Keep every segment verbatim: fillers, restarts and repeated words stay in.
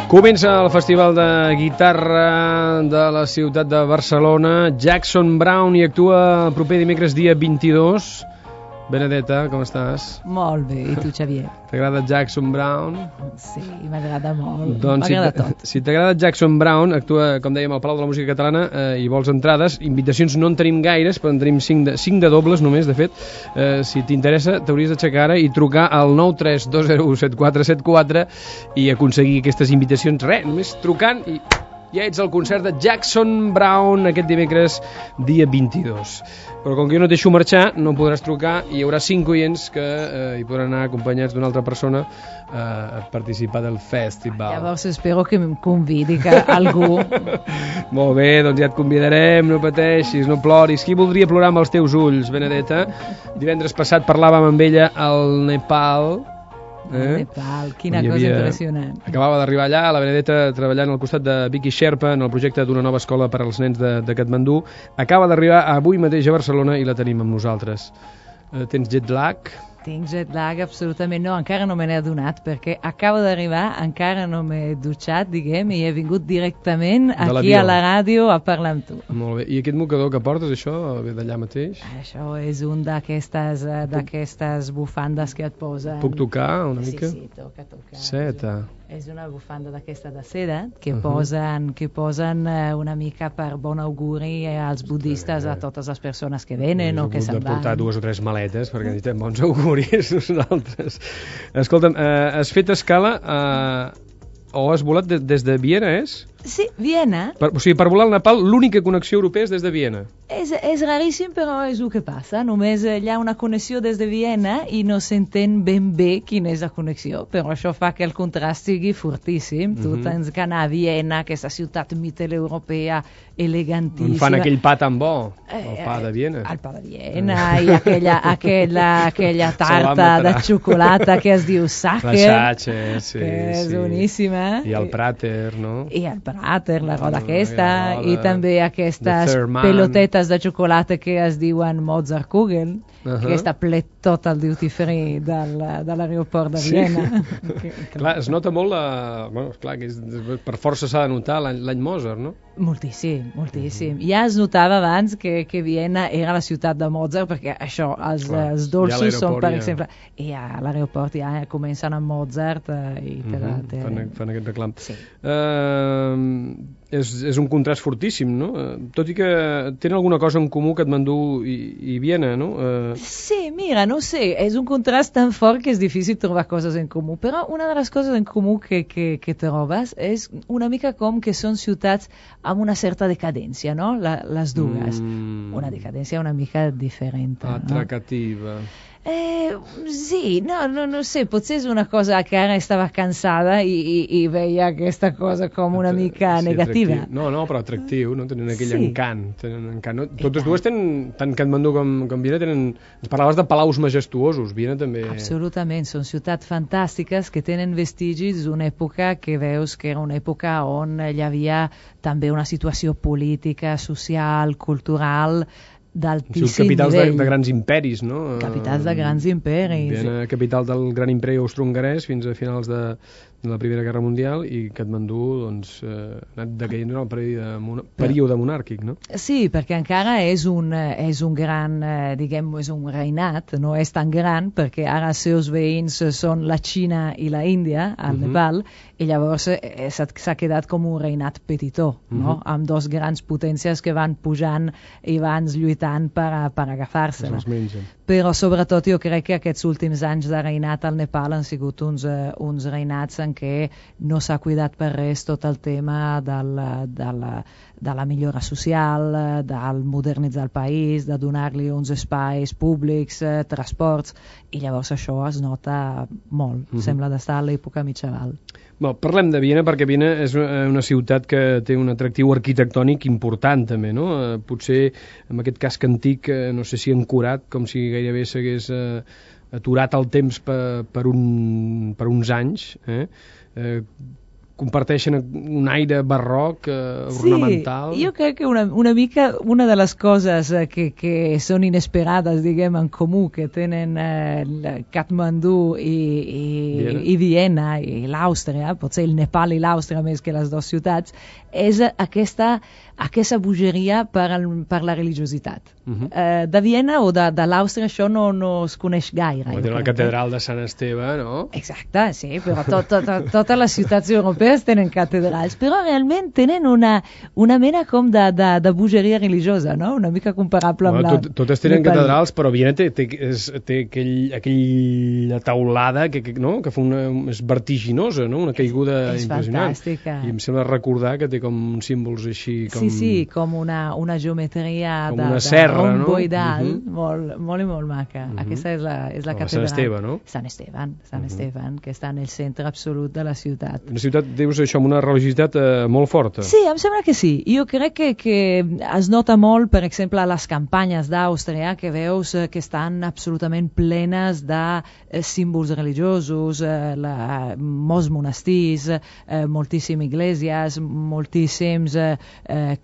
Comença el Festival de Guitarra de la ciutat de Barcelona. Jackson Browne hi actua el proper dimecres dia vint-i-dos. Benedetta, com estàs? Molt bé, i tu, Xavier? T'agrada Jackson Browne? Sí, m'agrada molt, doncs m'agrada si, tot. Si t'agrada Jackson Browne, actua, com dèiem, al Palau de la Música Catalana eh, i vols entrades, invitacions no en tenim gaires, però en tenim cinc de, cinc de dobles només, de fet. Eh, si t'interessa, t'hauries d'aixecar ara i trucar al nou tres dos zero u set quatre set quatre i aconseguir aquestes invitacions. Res, només trucant i ja ets al concert de Jackson Browne aquest dimecres dia vint-i-dos. Però com que jo no et deixo marxar, no podràs trucar i hi haurà cinc oients que eh, hi podran anar acompanyats d'una altra persona eh, a participar del festival. Llavors espero que em convidi que algú... Molt bé, doncs ja et convidarem, no pateixis, no ploris. Qui voldria plorar amb els teus ulls, Benedetta? Divendres passat parlàvem amb ella al Nepal. Eh? Nepal, quina cosa havia... impressionant. Acabava d'arribar allà, la Benedetta treballant al costat de Vicky Sherpa en el projecte d'una nova escola per als nens de, de Katmandú. Acaba d'arribar avui mateix a Barcelona i la tenim amb nosaltres. Eh, tens jet lag? Tinc jet lag, absolutament no, encara no me n'he adonat perquè acabo d'arribar, encara no m'he dutxat, diguem, i he vingut directament aquí a la ràdio a parlar amb tu. Molt bé, i aquest mocador que portes, això, ve d'allà mateix? Això és un d'aquestes d'aquestes bufandes que et posen... Puc tocar una mica? Sí, sí, toca, toca. Seta. És una bufanda d'aquesta de seda que uh-huh. posen, que posen eh, una mica per bon auguri als budistes, a totes les persones que venen o que se'n van. He portar dues o tres maletes perquè necessitem bons auguris nosaltres. Escolta'm, eh, has fet escala eh, o has volat de, des de Viena, és? Sí, Viena. Per, o sigui, per volar al Nepal l'única connexió europea és des de Viena. És, és raríssim, però és el que passa. Només hi ha una connexió des de Viena i no s'entén ben bé quina és la connexió, però això fa que el contrast sigui fortíssim. Mm-hmm. Tu tens que anar a Viena, aquesta ciutat mitteleuropea elegantíssima. On fan aquell pa tan bo, el pa de Viena. El pa de Viena i aquella, aquella, aquella tarta de xocolata que es diu Sacher. La Sacher, sí. Que és sí. boníssima. I el Prater, no? I el Prater, la roda aquesta, no, i també aquestes Thurman. Pelotetes de xocolata que es diuen Mozartkugeln, uh-huh. que està ple tot el duty free del, de l'aeroport de Viena. Sí. que, que... Clar, es nota molt la... Bueno, esclar, que és, per força s'ha de notar l'any Mozart, no? Moltíssim, moltíssim. Uh-huh. Ja es notava abans que, que Viena era la ciutat de Mozart, perquè això, els, Clar, els dolços són, per ja... exemple, i a l'aeroport ja comencen amb Mozart eh, i te, uh-huh. te... fan, fan aquest reclam. Sí. Uh, és, és un contrast fortíssim, no? Tot i que tenen alguna cosa en comú Katmandú i, i Viena, no? Uh... Sí, mira, no sé, és un contrast tan fort que és difícil trobar coses en comú, però una de les coses en comú que, que, que trobes és una mica com que són ciutats amb una certa decadència, no? La, les dues. Mm. Una decadència una mica diferent. Atracativa. No? Eh, sí, no, no, no sé, potser és una cosa que ara estava cansada i, i, i veia aquesta cosa com una mica sí, negativa. Atractiu. No, no, però atractiu, no? Tenen aquell sí. encant. Tenen encant no? Totes dues tenen, tant Katmandú com, com Viena, tenen... Ens parlaves de palaus majestuosos, Viena també... Absolutament, són ciutats fantàstiques que tenen vestigis d'una època que veus que era una època on hi havia també una situació política, social, cultural... d'altíssim capitals nivell. De, de grans imperis, no? Capitals de grans imperis. Viena, capital del gran imperi austro-hongarès fins a finals de, de la Primera Guerra Mundial, i Katmandú doncs, eh, ha anat decaient en el període, període monàrquic, no? Sí, perquè encara és un, és un gran, eh, diguem, és un reinat, no és tan gran, perquè ara els seus veïns són la Xina i la Índia, al uh-huh. Nepal, i llavors eh, s'ha quedat com un reinat petitó, no? Uh-huh. Amb dos grans potències que van pujant i van lluitant per, per agafar-se-la. Però sobretot jo crec que aquests últims anys de reinat al Nepal han sigut uns, uh, uns reinats en què no s'ha cuidat per res tot el tema del, de, la, de la millora social, del modernitzar el país, de donar-li uns espais públics, eh, transports, i llavors això es nota molt. Uh-huh. Sembla d'estar a l'època mitjaval. Bon, parlem de Viena perquè Viena és una ciutat que té un atractiu arquitectònic important també, no? Eh, potser en aquest casc antic, eh, no sé si ancorat, com si gairebé s'hagués eh, aturat el temps per, per, un, per uns anys. Eh? Eh, comparteixen un aire barroc, eh, ornamental. Sí, jo crec que una, una mica una de les coses eh, que, que són inesperades, diguem, en comú que tenen eh, Katmandú i, i, Viena. i Viena i l'Àustria, potser el Nepal i l'Àustria més que les dues ciutats, és aquesta, aquesta bogeria per, el, per la religiositat. Uh -huh. eh, de Viena o de, de l'Àustria això no, no es coneix gaire. Com la catedral de Sant Esteve, no? Exacte, sí, però tot, tot, tot, totes les ciutats europees tenen catedrals, però realment tenen una, una mena com de, de, de bogeria religiosa, no? Una mica comparable bueno, amb la... Tot, totes tenen catedrals, però Viena té, té, és, té aquell, aquella taulada que, que, no? que fa una, és vertiginosa, no? Una caiguda és, és impressionant. Fantàstica. I em sembla recordar que té com uns símbols així... Com... Sí, sí, com una, una geometria com de, una serra, de no? romboidal, Uh -huh. molt, molt i molt maca. Uh -huh. Aquesta és la, és la catedral. Sant Esteve, no? Sant Esteban, Sant Uh -huh. Esteban, que està en el centre absolut de la ciutat. Una ciutat, dius això, amb una religiositat eh, molt forta. Sí, em sembla que sí. Jo crec que, que es nota molt, per exemple, a les campanyes d'Àustria, que veus eh, que estan absolutament plenes de eh, símbols religiosos, eh, la, molts monestirs, eh, moltíssimes iglesias, moltíssims eh, eh,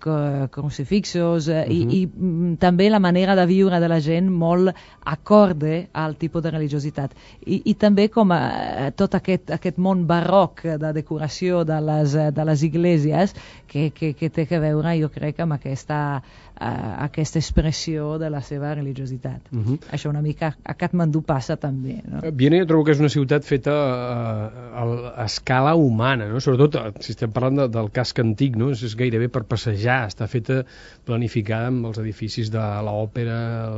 crucifixos, eh, uh -huh. i, i mm, també la manera de viure de la gent molt acorde al tipus de religiositat. I, i també com a, tot aquest, aquest món barroc de decoració de les, de les iglesias que, que, que té a veure, jo crec, amb aquesta, uh, aquesta expressió de la seva religiositat. Uh -huh. Això una mica a Katmandú passa també. No? Viena jo trobo que és una ciutat feta a, a, a escala humana, no? Sobretot si estem parlant de, del casc antic, no? És, és gairebé per passejar, està feta planificada amb els edificis de l'òpera,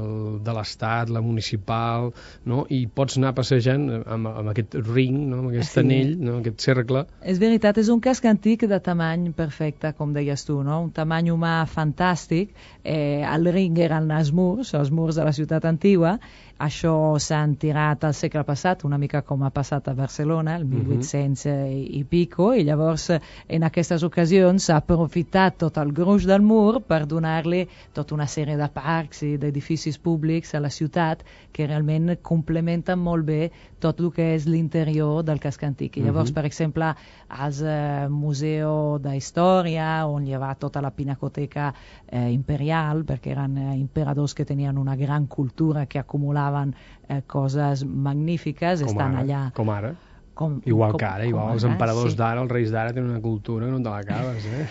de l'Estat, la municipal, no? I pots anar passejant amb, amb aquest ring, no? Amb aquest sí. anell, no? Aquest cercle. És veritat, és un casc antic de tamany perfecte, com deies tu, no? Un tamany humà fantàstic. Eh, el ring eren els murs, els murs de la ciutat antigua. Això s'han tirat al segle passat, una mica com ha passat a Barcelona, el mil vuit-cents i pico, i llavors en aquestes ocasions s'ha aprofitat tot el gruix del mur per donar-li tota una sèrie de parcs i d'edificis públics a la ciutat que realment complementen molt bé tot el que és l'interior del casc antic. I llavors, uh-huh. per exemple, al eh, Museu d'Història, on hi va tota la pinacoteca eh, imperial, perquè eren eh, imperadors que tenien una gran cultura que acumulaven Eh, coses magnífiques, com estan ara, allà. Com ara? Com, igual com, que ara, igual els emperadors sí. d'ara, els reis d'ara tenen una cultura que no te l'acabes, eh?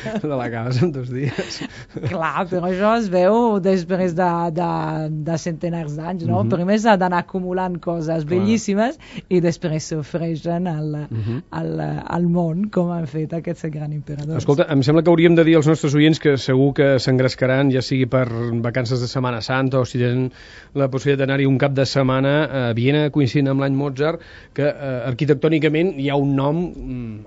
No te l'acabes en dos dies. Clar, però això es veu després de, de, de centenars d'anys, no? Uh-huh. Primer s'ha d'anar acumulant coses Clar. bellíssimes i després s'ofreixen al, uh-huh. al, al món, com han fet aquests grans imperadors. Escolta, em sembla que hauríem de dir als nostres oients que segur que s'engrescaran, ja sigui per vacances de Setmana Santa o si tenen la possibilitat d'anar-hi un cap de setmana a Viena, coincidint amb l'any Mozart, que eh, arquitectònicament hi ha un nom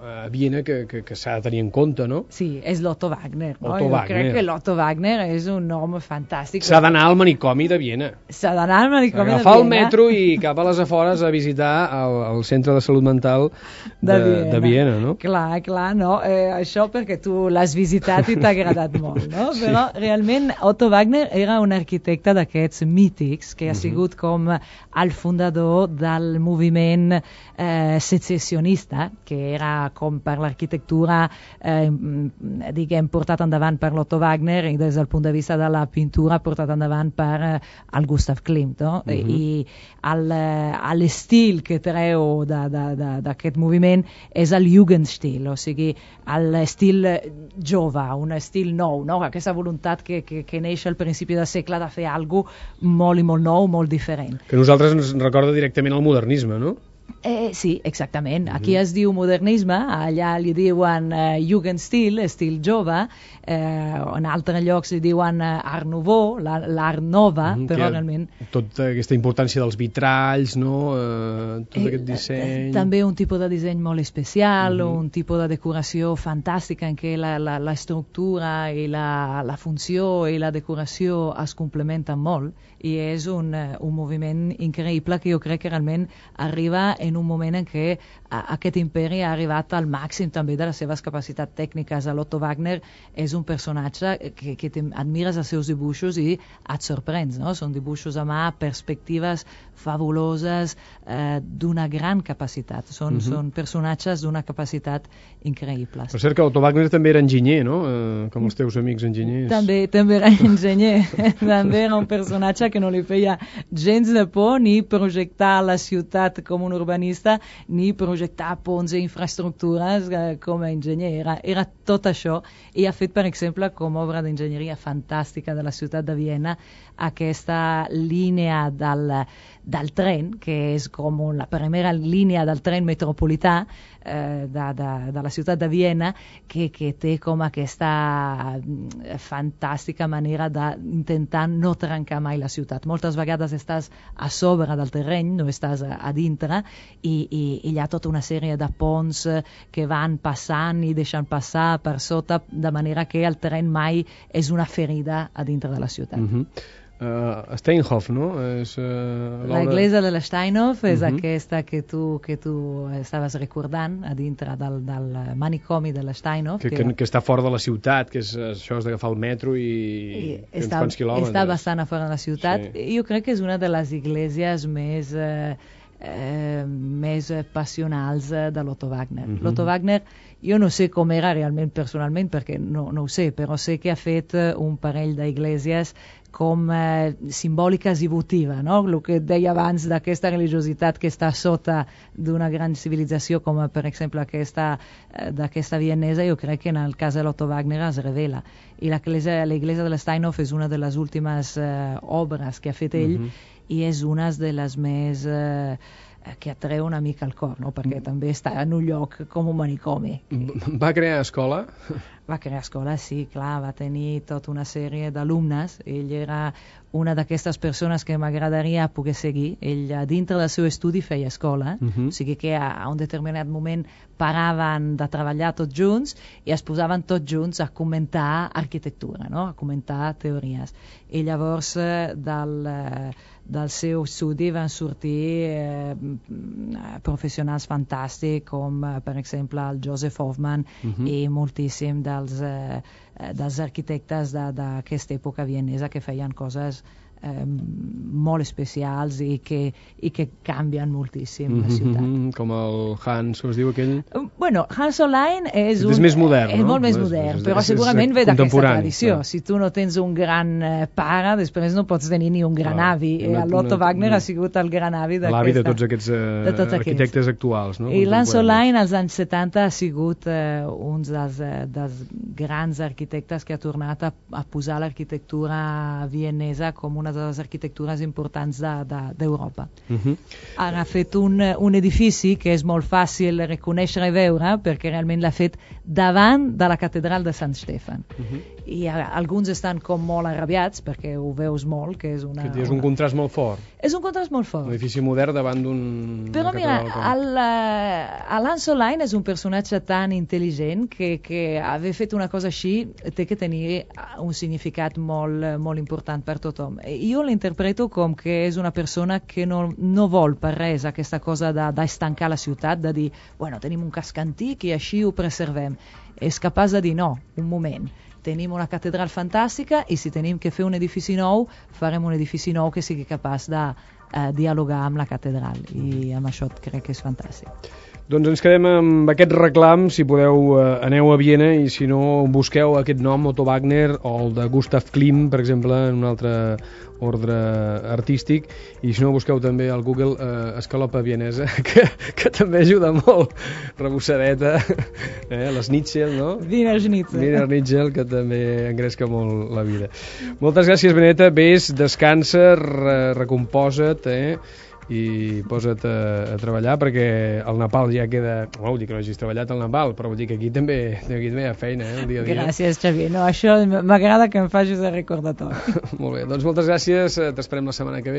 a Viena que, que, que s'ha de tenir en compte, no? Sí, és l'Otto Wagner. No? Otto jo Wagner. crec que l'Otto Wagner és un nom fantàstic. S'ha d'anar al manicomi de Viena. S'ha d'anar al manicomi de Viena. Agafar el metro i cap a les afores a visitar el, el centre de salut mental de, de, Viena. de Viena, no? Clar, clar, no? Eh, això perquè tu l'has visitat i t'ha agradat molt, no? Però realment Otto Wagner era un arquitecte d'aquests mítics que ha sigut com el fundador del moviment eh, secessionista, que era com per l'arquitectura eh, diguem, portat endavant per l'Otto Wagner i des del punt de vista de la pintura portat endavant per eh, el Gustav Klimt, no? Uh-huh. I l'estil que treu d'aquest moviment és el Jugendstil, o sigui, l'estil jove, un estil nou, no? Aquesta voluntat que, que, que neix al principi del segle de fer alguna cosa molt i molt nou, molt diferent. Que a nosaltres ens recorda directament el modernisme, no? Eh, sí, exactament. Aquí es diu modernisme, allà li diuen eh, Jugendstil, estil jove, eh, en altres llocs li diuen eh, Art Nouveau, l'Art Nova, mm, però realment... Tota aquesta importància dels vitralls, no? Eh, tot eh, aquest disseny... Eh, també un tipus de disseny molt especial, mm-hmm. un tipus de decoració fantàstica en què la, la, la estructura i la, la funció i la decoració es complementen molt, i és un, un moviment increïble que jo crec que realment arriba en en un moment en què aquest imperi ha arribat al màxim també de les seves capacitats tècniques. L'Otto Wagner és un personatge que, que admires els seus dibuixos i et sorprens, no? Són dibuixos a mà, perspectives fabuloses, eh, d'una gran capacitat. Són, uh-huh. són personatges d'una capacitat increïble. Per cert que Otto Wagner també era enginyer, no? Eh, com els teus amics enginyers. També, també era enginyer. També era un personatge que no li feia gens de por ni projectar la ciutat com un urbanista, ni projectar ponts i infraestructures eh, com a enginyer. Era, era tot això, i ha fet, per exemple, com a obra d'enginyeria fantàstica de la ciutat de Viena, aquesta línia del, del tren, que és com la primera línia del tren metropolità eh, de, de, de la ciutat de Viena, que, que té com aquesta fantàstica manera d'intentar no trencar mai la ciutat. Moltes vegades estàs a sobre del terreny, no estàs a, a dintre, i, i, i hi ha tota una sèrie de ponts que van passant i deixant passar per sota, de manera que el tren mai és una ferida a dintre de la ciutat. Uh-huh. Uh, Steinhoff, no? És, uh, la iglesia de la Steinhoff és uh-huh. aquesta que tu, que tu estaves recordant a dintre del, del manicomi de la Steinhoff. Que, que, que està fora de la ciutat, que és això és d'agafar el metro i, i uns està, quants quilòmetres. Està bastant a fora de la ciutat. Sí. Jo crec que és una de les iglesies més, eh, eh, més passionals de l'Otto Wagner. Uh-huh. L'Otto Wagner, jo no sé com era realment personalment, perquè no, no ho sé, però sé que ha fet un parell d'iglesies com eh, simbòliques i votiva, no? El que et deia abans d'aquesta religiositat que està sota d'una gran civilització, com per exemple aquesta, eh, d'aquesta vienesa, jo crec que en el cas de l'Otto Wagner es revela. I l'església de la Steinhoff és una de les últimes eh, obres que ha fet ell, uh-huh. i és una de les més eh, que atreu una mica al cor, no? Perquè també està en un lloc com un manicomi. Va crear escola? Va crear escola, sí, clar, va tenir tota una sèrie d'alumnes. Ell era una d'aquestes persones que m'agradaria poder seguir. Ell, dintre del seu estudi, feia escola, uh-huh. o sigui que a, a un determinat moment paraven de treballar tots junts i es posaven tots junts a comentar arquitectura, no? A comentar teories. I llavors eh, del, eh, del seu estudi van sortir eh, professionals fantàstics com, eh, per exemple, el Joseph Hoffmann, uh-huh. i moltíssim dels, eh, dels arquitectes d'aquesta època vienesa que feien coses eh, molt especials i que, i que canvien moltíssim mm-hmm, la ciutat. Com el Hans, com es diu aquell? Bueno, Hans Hollein és, un, és més modern, és no? molt més és, modern, és, però és, segurament ve d'aquesta tradició. Clar. Si tu no tens un gran eh, pare, després no pots tenir ni un gran clar, avi. Una, L'Otto una, Wagner una, ha sigut el gran avi d'aquesta. L'avi de tots aquests eh, de tots arquitectes aquests. actuals. No? I Hans Hollein als anys setanta ha sigut eh, un dels, eh, dels grans arquitectes que ha tornat a, a posar l'arquitectura vienesa com una de les arquitectures importants d'Europa. De, de, uh-huh. Ara ha fet un, un edifici que és molt fàcil reconèixer i veure perquè realment l'ha fet davant de la catedral de Sant Stefan. Uh-huh. I a, alguns estan com molt arrabiats perquè ho veus molt, que és una... Que és un una... contrast molt fort. És un contrast molt fort. Un edifici modern davant d'un... Però mira, Hans Hollein és un personatge tan intel·ligent que, que haver fet una cosa així té que tenir un significat molt, molt important per tothom. Jo l'interpreto com que és una persona que no, no vol per res aquesta cosa d'estancar de, la ciutat, de dir, bueno, tenim un casc antic i així ho preservem. És capaç de dir, no, un moment, tenim una catedral fantàstica i si tenim que fer un edifici nou, farem un edifici nou que sigui capaç de eh, dialogar amb la catedral, i amb això crec que és fantàstic. Doncs ens quedem amb aquest reclam, si podeu eh, aneu a Viena i si no busqueu aquest nom, Otto Wagner o el de Gustav Klimt, per exemple, en un altre ordre artístic, i si no busqueu també al Google eh, escalopa vienesa, que, que també ajuda molt, rebossadeta, eh, les Schnitzel, no? Wiener Schnitzel. Wiener Schnitzel, que també engresca molt la vida. Moltes gràcies, Beneta, vés, descansa, re, recomposa't, eh? I posa't a, a treballar perquè el Nepal ja queda... No vull dir que no hagis treballat al Nepal, però vull dir que aquí també, aquí també hi ha feina, eh, el dia a dia. Gràcies, Xavier. No, això m'agrada que em facis el recordatori. Molt bé, doncs moltes gràcies, t'esperem la setmana que ve.